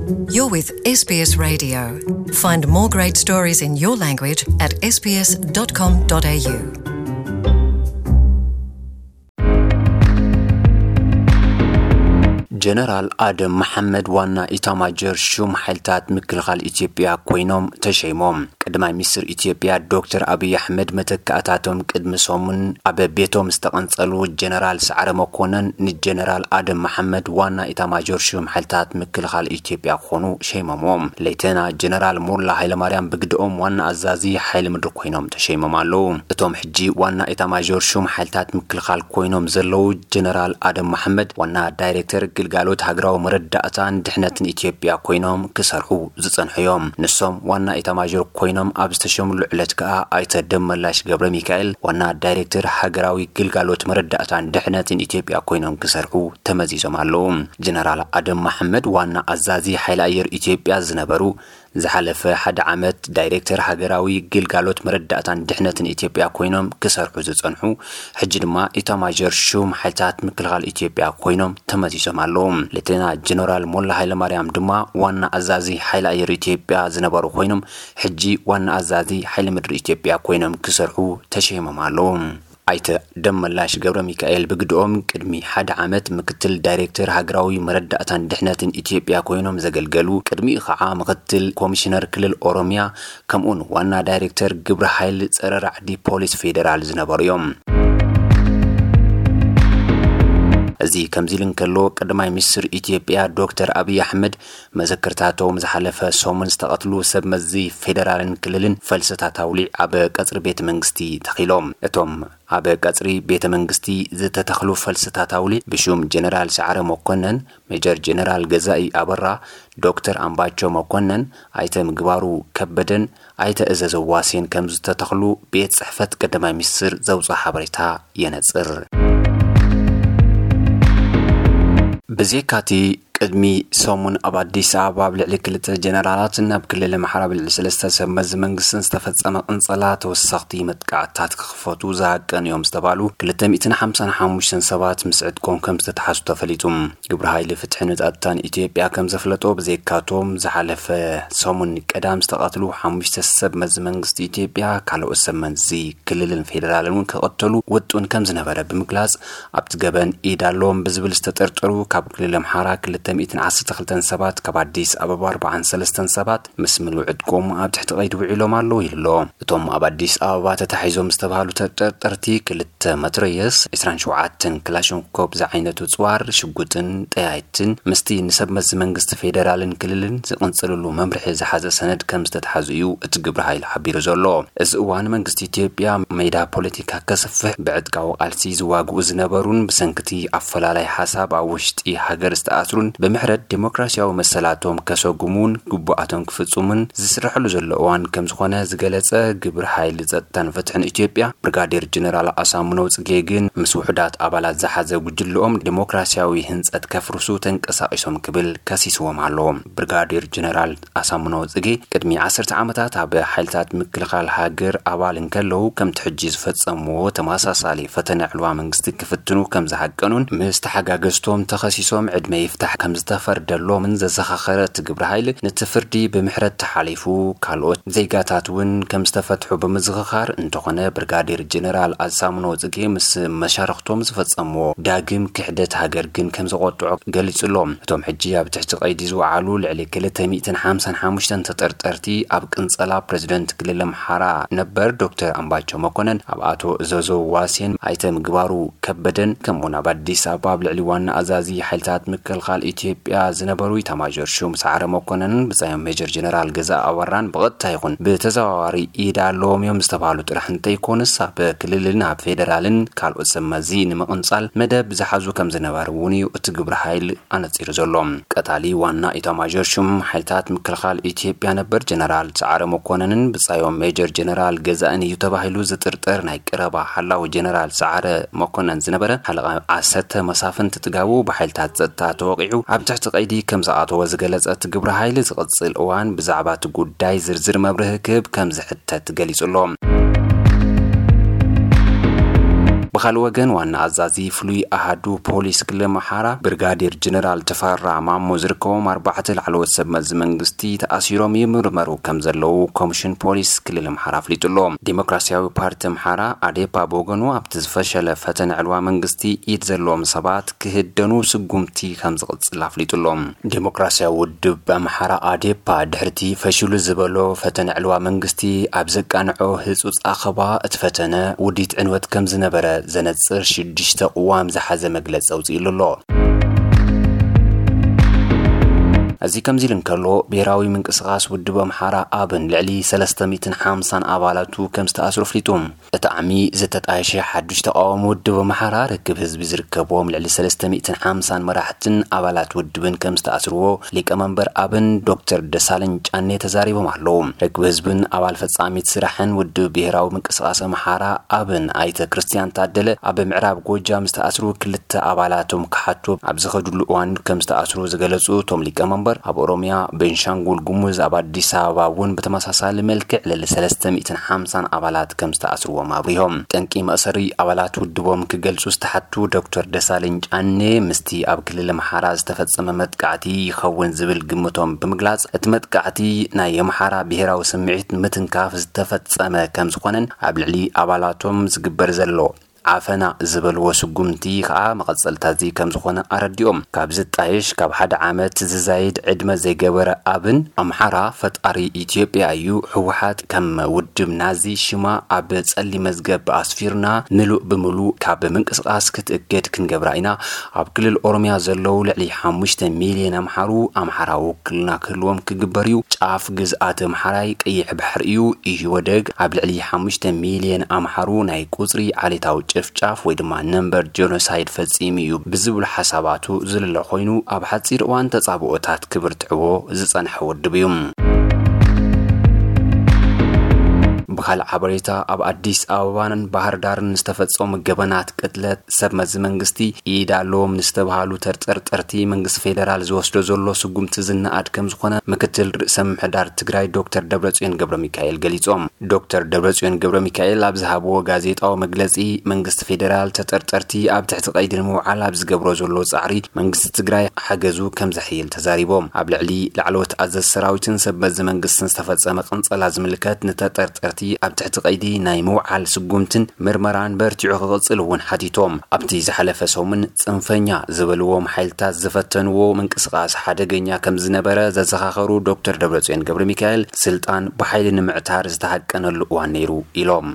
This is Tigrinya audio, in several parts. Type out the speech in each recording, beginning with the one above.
You're with S B S Radio. Find more great stories in your language at S B S dot com dot A U. ጀነራል ኣደም መሓመድ ዋና ኢታማጆር ሹም ሓይልታት ምክልኻል ኢትዮጵያ ኮይኖም ተሸይሞም። ቀዳማይ ሚኒስትር ኢትዮጵያ ዶክተር ኣብይ ኣሕመድ መተካእታቶም ቅድሚ ሰሙን ኣብ ቤቶም ዝተቐንጸሉ ጀነራል ሰዓረ መኮነን ንጀነራል ኣደም መሓመድ ዋና ኢታማጆር ሹም ሓይልታት ምክልኻል ኢትዮጵያ ክኾኑ ሸይሞምዎም። ሌተና ጀነራል ሞላ ሃይለማርያም ብግድኦም ዋና ኣዛዚ ሓይሊ ምድሪ ኮይኖም ተሸይሞም ኣለዉ። እቶም ሕጂ ዋና ኢታማጆር ሹም ሓይልታት ምክልኻል ኮይኖም ዘለዉ ጀነራል ኣደም መሓመድ ዋና ዳይሬክተር ግልጋሎት ሃገራዊ መረዳእታን ድሕነትን ኢትዮጵያ ኮይኖም ክሰርሑ ዝጸንሑ እዮም። ንሶም ዋና ኢታማዦር ኮይኖም ኣብ ዝተሸምሉ ዕለት ከኣ ኣይተ ደመላሽ ገብረ ሚካኤል ዋና ዳይሬክተር ሃገራዊ ግልጋሎት መረዳእታን ድሕነትን ኢትዮጵያ ኮይኖም ክሰርሑ ተመዚዞም ኣለዉ። ጀነራል ኣደም መሓመድ ዋና ኣዛዚ ሓይሊ ኣየር ኢትዮጵያ ዝነበሩ፣ ዝሓለፈ ሓደ ዓመት ዳይሬክተር ሃገራዊ ግልጋሎት መረዳእታን ድሕነትን ኢትዮጵያ ኮይኖም ክሰርሑ ዝጸንሑ፣ ሕጂ ድማ ኢታማዦር ሹም ሓይልታት ምክልኻል ኢትዮጵያ ኮይኖም ተመዚዞም ኣለዉ። ሌተና ጀነራል ሞላ ሃይለማርያም ድማ ዋና ኣዛዚ ሓይሊ ኣየር ኢትዮጵያ ዝነበሩ ኮይኖም፣ ሕጂ ዋና ኣዛዚ ሓይሊ ምድሪ ኢትዮጵያ ኮይኖም ክሰርሑ ተሸይሞም ኣለዉ። ኣይተ ደመላሽ ገብረ ሚካኤል ብግድኦም ቅድሚ ሓደ ዓመት ምክትል ዳይሬክተር ሃገራዊ መረዳእታን ድሕነትን ኢትዮጵያ ኮይኖም ዘገልገሉ፣ ቅድሚኡ ከዓ ምክትል ኮሚሽነር ክልል ኦሮሚያ ከምኡውን ዋና ዳይሬክተር ግብረ ሓይል ጸረ ራዕዲ ፖሊስ ፌዴራል ዝነበሩ እዮም። እዚ ከምዚ ኢሉ እንከሎ፣ ቀዳማይ ሚኒስትር ኢትዮጵያ ዶክተር ኣብይ ኣሕመድ መዘክርታቶም ዝሓለፈ ሰሙን ዝተቐትሉ ሰብ መዚ ፌዴራልን ክልልን ፈልስታት ኣውሊዕ ኣብ ቀጽሪ ቤተ መንግስቲ ተኺሎም። እቶም ኣብ ቀጽሪ ቤተ መንግስቲ ዝተተኽሉ ፈልስታት ኣውሊዕ ብሹም ጀነራል ሰዓረ መኮነን፣ ሜጀር ጀነራል ገዛኢ ኣበራ፣ ዶክተር ኣምባቸው መኮነን፣ ኣይተ ምግባሩ ከበደን ኣይተ እዘዘ ዋሴን ከም ዝተተኽሉ ቤት ጽሕፈት ቀዳማይ ሚኒስትር ዘውፅኦ ሓበሬታ የነጽር። ብዜካቲ ቅድሚ ሰሙን ኣብ ኣዲስ ኣበባ ኣብ ልዕሊ ክልተ ጀነራላትን ኣብ ክልል ኣምሓራ ኣብ ልዕሊ ሰለስተ ሰብ መዚ መንግስትን ዝተፈጸመ ቅንጸላ ተወሰኽቲ መጥቃዕትታት ክኽፈቱ ዝሃቀኑ እዮም ዝተባሉ ክልተ ሚእትን ሓምሳን ሓሙሽተን ሰባት ምስ ዕጥቆም ከም ዝተተሓዙ ተፈሊጡ። ግብረ ሓይሊ ፍትሕን ጸጥታን ኢትዮጵያ ከም ዘፍለጦ፣ ብዘይካቶም ዝሓለፈ ሰሙን ቀዳም ዝተቐትሉ ሓሙሽተ ሰብ መዚ መንግስቲ ኢትዮጵያ ካልኦት ሰብ መዚ ክልልን ፌዴራልን እውን ክቐተሉ ውጡን ከም ዝነበረ ብምግላጽ፣ ኣብቲ ገበን ኢድ ኣለዎም ብዝብል ዝተጠርጠሩ ካብ ክልል ኣምሓራ ክልተ ሚእትን ዓሰርተ ክልተን ሰባት፣ ካብ ኣዲስ ኣበባ ኣርባዓን ሰለስተን ሰባት ምስ ምሉእ ዕጥቆም ኣብ ትሕቲ ቀይዲ ውዒሎም ኣለዉ ኢሉ ኣሎ። እቶም ኣብ ኣዲስ ኣበባ ተታሒዞም ዝተባህሉ ተጠርጠርቲ ክልተ መትረየስ፣ ዕስራን ሸውዓተን ክላሽንኮፕ ዝዓይነቱ ጽዋር፣ ሽጉጥን ጠያይትን ምስቲ ንሰብ መዚ መንግስቲ ፌዴራልን ክልልን ዝቕንጽልሉ መምርሒ ዝሓዘ ሰነድ ከም ዝተተሓዙ እዩ እቲ ግብረ ሓይሊ ሓቢሩ ዘሎ። እዚ እዋን መንግስቲ ኢትዮጵያ ሜዳ ፖለቲካ ከስፍሕ ብዕጥቃዊ ቃልሲ ዝዋግኡ ዝነበሩን ብሰንክቲ ኣፈላላይ ሓሳብ ኣብ ውሽጢ ሃገር ዝተኣስሩን ብምሕረት ዴሞክራሲያዊ መሰላቶም ከሰጉሙን ግቡኣቶም ክፍጽሙን ዝስረሐሉ ዘሎ እዋን ከም ዝኾነ ዝገለጸ ግብረ ሓይሊ ጸጥታን ፍትሕን ኢትዮጵያ ብርጋዴር ጀነራል ኣሳምነው ጽጌ ግን ምስ ውሑዳት ኣባላት ዝሓዘ ጉጅለኦም ዴሞክራሲያዊ ህንጸት ከፍርሱ ተንቀሳቒሶም ክብል ከሲስዎም ኣሎ። ብርጋዴር ጀነራል ኣሳምነው ጽጌ ቅድሚ ዓሰርተ ዓመታት ኣብ ሓይልታት ምክልኻል ሃገር ኣባል እንከለዉ ከምቲ ሕጂ ዝፈጸምዎ ተመሳሳሊ ፈተነ ዕልዋ መንግስቲ ክፍትኑ ከም ዝሃቀኑን ምስ ተሓጋገዝቶም ተኸሲሶም ዕድመ ይፍታሕ ከም ዝተፈርደሎምን ዘዘኻኸረ እቲ ግብረ ሓይሊ ነቲ ፍርዲ ብምሕረት ተሓሊፉ ካልኦት ዜጋታት እውን ከም ዝተፈትሑ ብምዝኽኻር፣ እንተኾነ ብርጋዴር ጀነራል ኣሳምነው ጽጌ ምስ መሻርኽቶም ዝፈጸምዎ ዳግም ክሕደት ሃገር ግን ከም ዘቆጥዖ ገሊጹ ኣሎ። እቶም ሕጂ ኣብ ትሕቲ ቀይዲ ዝወዓሉ ልዕሊ ክልተ ሚእትን ሓምሳን ሓሙሽተን ተጠርጠርቲ ኣብ ቅንጸላ ፕሬዝደንት ክልል ኣምሓራ ነበር ዶክተር ኣምባቸው መኮነን፣ ኣብ ኣቶ እዘዞ ዋሴን፣ ኣይተ ምግባሩ ከበደን ከምኡውን ኣብ ኣዲስ ኣበባ ኣብ ልዕሊ ዋና ኣዛዚ ሓይልታት ምክልኻል ኢትዮጵያ ዝነበሩ ኢታማዦር ሹም ሰዓረ መኮነንን ብጻዮም ሜጀር ጀነራል ገዛ ኣበራን ብቐጥታ ይኹን ብተዘዋዋሪ ኢድ ኣለዎም እዮም ዝተባህሉ ጥራሕ እንተይኮኑስ ኣብ ክልልን ኣብ ፌዴራልን ካልኦት ሰብ መዚ ንምቕንጻል መደብ ዝሓዙ ከም ዝነበሩ እውን እዩ እቲ ግብረ ሓይል ኣነጺሩ ዘሎ። ቀታሊ ዋና ኢታማዦር ሹም ሓይልታት ምክልኻል ኢትዮጵያ ነበር ጀነራል ሰዓረ መኮነንን ብጻዮም ሜጀር ጀነራል ገዛእን እዩ ተባሂሉ ዝጥርጠር ናይ ቀረባ ሓላዊ ጀነራል ሰዓረ መኮነን ዝነበረ ሓለቓ ዓሰርተ መሳፍንቲ ጥጋቡ ብሓይልታት ጸጥታ ተወቒዑ ኣብ ትሕቲ ቀይዲ ከም ዝኣተወ ዝገለጸ እቲ ግብረ ሓይሊ ዝቕጽል እዋን ብዛዕባ እቲ ጉዳይ ዝርዝር መብርሂ ክህብ ከም ዝሕተት ገሊጹ ኣሎ። ብኻልእ ወገን ዋና ኣዛዚ ፍሉይ ኣሃዱ ፖሊስ ክልል ኣምሓራ ብርጋዴር ጀነራል ተፈራ ማሞ ዝርከቦም ኣርባዕተ ላዕለዎት ሰብ መዚ መንግስቲ ተኣሲሮም ይምርመሩ ከም ዘለዉ ኮሚሽን ፖሊስ ክልል ኣምሓራ ኣፍሊጡ ኣሎ። ዴሞክራሲያዊ ፓርቲ ኣምሓራ ኣዴፓ ብወገኑ ኣብቲ ዝፈሸለ ፈተነ ዕልዋ መንግስቲ ኢድ ዘለዎም ሰባት ክህደኑ ስጉምቲ ከም ዝቕጽል ኣፍሊጡ ኣሎ። ዴሞክራሲያዊ ውድብ ኣምሓራ ኣዴፓ ድሕርቲ ፈሽሉ ዝበሎ ፈተነ ዕልዋ መንግስቲ ኣብ ዘቃንዖ ህጹጽ ኣኸባ እቲ ፈተነ ውዲት ዕንወት ከም ዝነበረ ዘነጽር ሽዱሽተ ቅዋም ዝሓዘ መግለጺ ኣውጺእሉ ኣሎ። እዚ ከምዚ ኢሉ እንከሎ፣ ብሄራዊ ምንቅስቃስ ውድብ ኣምሓራ ኣብን ልዕሊ ሰለስተ ሚእትን ሓምሳን ኣባላቱ ከም ዝተኣስሩ ኣፍሊጡ። እቲ ዓሚ ዝተጣየሸ ሓዱሽ ተቃዋሚ ውድብ ኣምሓራ ርክብ ህዝቢ ዝርከብዎም ልዕሊ ሰለስተ ሚእትን ሓምሳን መራሕትን ኣባላት ውድብን ከም ዝተኣስርዎ ሊቀመንበር ኣብን ዶክተር ደሳለኝ ጫኔ ተዛሪቦም ኣለዉ። ርክብ ህዝብን ኣባል ፈጻሚት ስራሕን ውድብ ብሄራዊ ምንቅስቃስ ኣምሓራ ኣብን ኣይተ ክርስቲያን ታደለ ኣብ ምዕራብ ጎጃም ዝተኣስሩ ክልተ ኣባላቶም ክሓቱ ኣብ ዝኸድሉ እዋን ከም ዝተኣስሩ ዝገለጹ እቶም ሊቀመንበር፣ ኣብ ኦሮሚያ፣ ቤንሻንጉል ጉሙዝ፣ ኣብ ኣዲስ ኣበባ እውን ብተመሳሳሊ መልክዕ ልዕሊ ሰለስተ ሚእትን ሓምሳን ኣባላት ከም ዝተኣስርዎም ኣብሪሆም። ጠንቂ መእሰሪ ኣባላት ውድቦም ክገልጹ ዝተሓቱ ዶክተር ደሳለኝ ጫኔ፣ ምስቲ ኣብ ክልል ኣምሓራ ዝተፈጸመ መጥቃዕቲ ይኸውን ዝብል ግምቶም ብምግላጽ፣ እቲ መጥቃዕቲ ናይ ኣምሓራ ብሄራዊ ስምዒት ምትንካፍ ዝተፈጸመ ከም ዝኾነን ኣብ ልዕሊ ኣባላቶም ዝግበር ዘሎ ዓፈና ዝበልዎ ስጉምቲ ከኣ መቐጸልታ እዚ ከም ዝኾነ ኣረዲኦም። ካብ ዝጣየሽ ካብ ሓደ ዓመት ዝዛይድ ዕድመ ዘይገበረ ኣብን ኣምሓራ ፈጣሪ ኢትዮጵያ እዩ፣ ህወሓት ከም ውድብ ናዚ ሽማ ኣብ ጸሊም መዝገብ ኣስፊርና ምሉእ ብምሉእ ካብ ምንቅስቃስ ክትእገድ ክንገብራ ኢና፣ ኣብ ክልል ኦሮሚያ ዘለዉ ልዕሊ ሓሙሽተ ሚልዮን ኣምሓሩ ኣምሓራዊ ውክልና ክህልዎም ክግበር እዩ፣ ጫፍ ግዝኣት ኣምሓራይ ቀይሕ ባሕሪ እዩ፣ ኢህወደግ ኣብ ልዕሊ ሓሙሽተ ሚልዮን ኣምሓሩ ናይ ቁጽሪ ዓሌታዊ ጭፍጫፍ ወይ ድማ ነምበር ጀኖሳይድ ፈጺሙ እዩ ብዝብሉ ሓሳባቱ ዝልለ ኮይኑ፣ ኣብ ሓጺር እዋን ተጻብኦታት ክብርትዕዎ ዝጸንሐ ውድብ እዩ። ብኻልእ ሓበሬታ፣ ኣብ ኣዲስ ኣበባን ባህር ዳርን ዝተፈጸሙ ገበናት ቅትለት ሰብ መዚ መንግስቲ ኢድ ኣለዎም ንዝተባሃሉ ተጠርጠርቲ መንግስቲ ፌደራል ዝወስዶ ዘሎ ስጉምቲ ዝነኣድ ከም ዝኾነ ምክትል ርእሰ ምምሕዳር ትግራይ ዶክተር ደብረጽዮን ገብረ ሚካኤል ገሊጾም። ዶክተር ደብረጽዮን ገብረ ሚካኤል ኣብ ዝሃብዎ ጋዜጣዊ መግለጺ፣ መንግስቲ ፌደራል ተጠርጠርቲ ኣብ ትሕቲ ቀይዲ ንምውዓል ኣብ ዝገብሮ ዘሎ ጻዕሪ መንግስቲ ትግራይ ሓገዙ ከም ዘሕይል ተዛሪቦም። ኣብ ልዕሊ ላዕለዎት ኣዘዝ ሰራዊትን ሰብ መዚ መንግስትን ዝተፈጸመ ቅንጸላ ዝምልከት፣ ንተጠርጠርቲ ኣብ ትሕቲ ቀይዲ ናይ ምውዓል ስጉምትን ምርመራን በርቲዑ ክቕጽል እውን ሓቲቶም። ኣብቲ ዝሓለፈ ሰሙን ጽንፈኛ ዝበልዎም ሓይልታት ዝፈተንዎ ምንቅስቃስ ሓደገኛ ከም ዝነበረ ዘዘኻኸሩ ዶክተር ደብረጽዮን ገብረ ሚካኤል፣ ስልጣን ብሓይሊ ንምዕታር ዝተሃቀነሉ እዋን ነይሩ ኢሎም።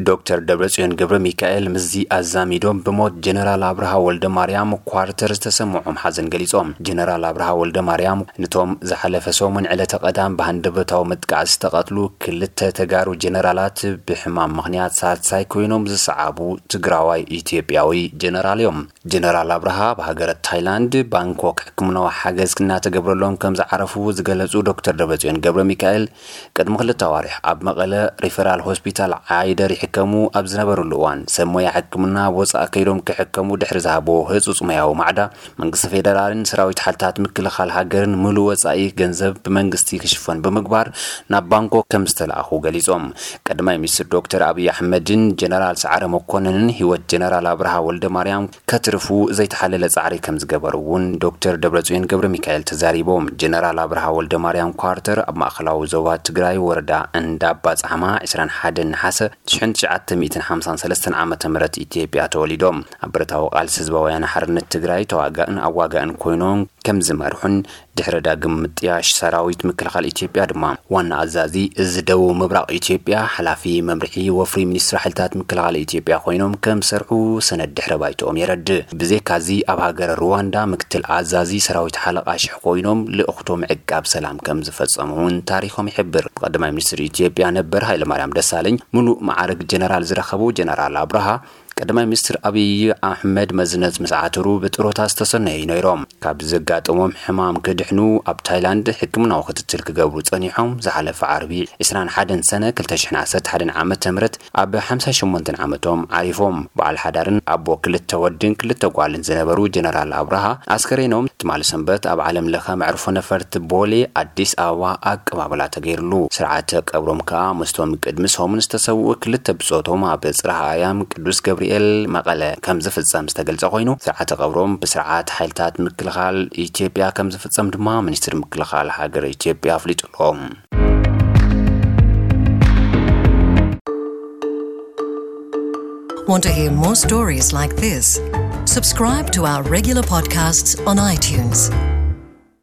ዶክተር ደብረጽዮን ገብረ ሚካኤል ምስዚ ኣዛሚዶም፣ ብሞት ጀነራል ኣብርሃ ወልደ ማርያም ኳርተር ዝተሰምዖም ሓዘን ገሊጾም። ጀነራል ኣብርሃ ወልደ ማርያም፣ ነቶም ዝሓለፈ ሰሙን ዕለተ ቀዳም ብሃንደበታዊ መጥቃዕቲ ዝተቐትሉ ክልተ ተጋሩ ጀነራላት፣ ብሕማም ምኽንያት ሳልሳይ ኮይኖም ዝሰዓቡ ትግራዋይ ኢትዮጵያዊ ጀነራል እዮም። ጀነራል ኣብርሃ ኣብ ሃገረ ታይላንድ ባንኮክ ሕክምናዊ ሓገዝ እናተገብረሎም ከም ዝዓረፉ ዝገለጹ ዶክተር ደብረጽዮን ገብረ ሚካኤል፣ ቅድሚ ክልተ ኣዋርሕ ኣብ መቐለ ሪፈራል ሆስፒታል ዓይደር ይሕከሙ ኣብ ዝነበሩሉ እዋን፣ ሰብ ሞያ ሕክምና ወጻኢ ከይዶም ክሕከሙ ድሕሪ ዝሃብዎ ህጹጽ ሞያዊ ማዕዳ፣ መንግስቲ ፌደራልን ሰራዊት ሓይልታት ምክልኻል ሃገርን ምሉእ ወጻኢ ገንዘብ ብመንግስቲ ክሽፈን ብምግባር ናብ ባንኮክ ከም ዝተላእኹ ገሊጾም። ቀዳማይ ሚኒስትር ዶክተር ኣብይ ኣሕመድን ጀነራል ሰዓረ መኮነንን ህይወት ጀነራል ኣብርሃ ወልደ ማርያም ከትርፉ ዘይተሓለለ ጻዕሪ ከም ዝገበሩ እውን ዶክተር ደብረጽዮን ገብረ ሚካኤል ተዛሪቦም። ጀነራል ኣብርሃ ወልደ ማርያም ኳርተር ኣብ ማእኸላዊ ዞባ ትግራይ ወረዳ እንዳባ ጻሕማ ዕስራን ሓደን ነሓሰ ሽሕን ትሽዓተ ሚእትን ሓምሳን ሰለስተን ዓመተ ምህረት ኢትዮጵያ ተወሊዶም። ኣብ ብረታዊ ቃልሲ ህዝባዊ ወያነ ሓርነት ትግራይ ተዋጋእን ኣዋጋእን ኮይኖም ከም ዝመርሑን ድሕሪ ዳግም ምጥያሽ ሰራዊት ምክልኻል ኢትዮጵያ ድማ ዋና ኣዛዚ እዚ ደቡብ ምብራቕ ኢትዮጵያ፣ ሓላፊ መምርሒ ወፍሪ ሚኒስትሪ ሓይልታት ምክልኻል ኢትዮጵያ ኮይኖም ከም ዝሰርሑ ሰነድ ድሕረ ባይትኦም የረድእ። ብዘይካዚ ኣብ ሃገረ ሩዋንዳ ምክትል ኣዛዚ ሰራዊት ሓለቓ ሽሕ ኮይኖም ልእኽቶ ምዕቃብ ሰላም ከም ዝፈጸሙ እውን ታሪኾም ይሕብር። ብቀዳማይ ሚኒስትር ኢትዮጵያ ነበር ሃይለማርያም ደሳለኝ ምሉእ መዓርግ ጀነራል ዝረኸቡ ጀነራል ኣብርሃ፣ ቀዳማይ ሚኒስትር ኣብይ ኣሕመድ መዝነት ምስ ዓተሩ ብጥሮታ ዝተሰነዩ ነይሮም። ካብ ዘጋጠሞም ሕማም ክድሕኑ ኣብ ታይላንድ ሕክምናዊ ክትትል ክገብሩ ጸኒሖም። ዝሓለፈ ዓርቢ ዕስራን ሓደን ሰነ ክልተ ሽሕን ዓሰርተ ሓደን ዓመተ ምህረት ኣብ ሓምሳ ሸሞንተን ዓመቶም ዓሪፎም። በዓል ሓዳርን ኣቦ ክልተ ወድን ክልተ ጓልን ዝነበሩ ጀነራል ኣብርሃ፣ ኣስከሬኖም ትማሊ ሰንበት ኣብ ዓለም ለኸ መዕርፎ ነፈርቲ ቦሌ ኣዲስ ኣበባ ኣቀባብላ ተገይርሉ። ስርዓተ ቀብሮም ከኣ ምስቶም ቅድሚ ሰሙን ዝተሰውኡ ክልተ ብጾቶም ኣብ ጽርሐ ኣርያም ቅዱስ ገብርኤል መቐለ ከም ዝፍጸም ዝተገልጸ ኮይኑ፣ ስርዓተ ቀብሮም ብስርዓት ሓይልታት ምክልኻል ኢትዮጵያ ከም ዝፍጸም ድማ ሚኒስትር ምክልኻል ሃገር ኢትዮጵያ ኣፍሊጡ ኣሎ። Want to hear more stories like this? Subscribe to our regular podcasts on iTunes.